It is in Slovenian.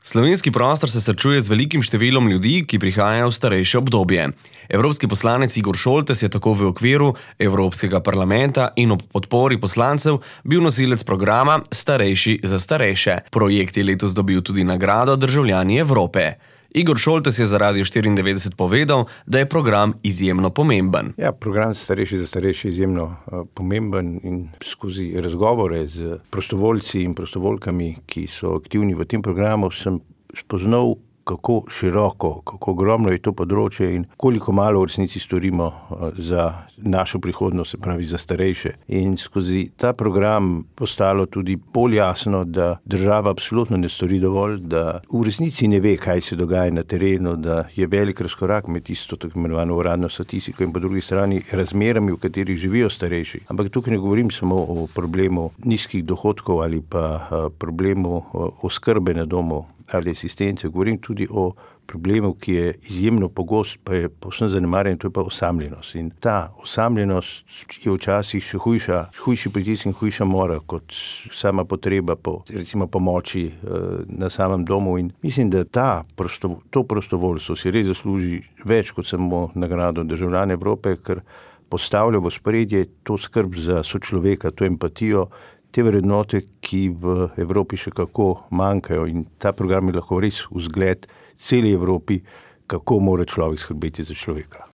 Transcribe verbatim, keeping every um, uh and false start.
Slovenski prostor se srečuje z velikim številom ljudi, ki prihajajo v starejše obdobje. Evropski poslanec Igor Šoltes je tako v okviru Evropskega parlamenta in ob podpori poslancev bil nosilec programa Starejši za starejše. Projekt je letos dobil tudi nagrado Državljani Evrope. Igor Šoltes je za Radio štiriindevetdeset povedal, da je program izjemno pomemben. Ja, program Starejši za starejše je izjemno uh, pomemben in skozi razgovore z prostovoljci in prostovoljkami, ki so aktivni v tem programu, sem spoznal, kako široko, kako ogromno je to področje in koliko malo v resnici storimo za našo prihodnost, se pravi za starejše. In skozi ta program postalo tudi bolj jasno, da država absolutno ne stori dovolj, da v resnici ne ve, kaj se dogaja na terenu, da je velik razkorak med tisto tako imenovano uradno statistiko in po drugi strani razmerami, v katerih živijo starejši. Ampak tukaj ne govorim samo o problemu nizkih dohodkov ali pa problemu oskrbe na domu ali asistence, govorim tudi o problemu, ki je izjemno pogost, pa je povsem zanemarjen, to je pa osamljenost. In ta osamljenost je včasih še hujša, hujši pritisk in hujša mora kot sama potreba po, recimo, pomoči eh, na samem domu. In mislim, da ta prosto, to prostovoljstvo si res zasluži več kot samo nagrado Državljane Evrope, ker postavlja v ospredje to skrb za sočloveka, to empatijo, te vrednote, ki v Evropi še kako manjkajo, in ta program je lahko res vzgled celi Evropi, kako mora človek skrbeti za človeka.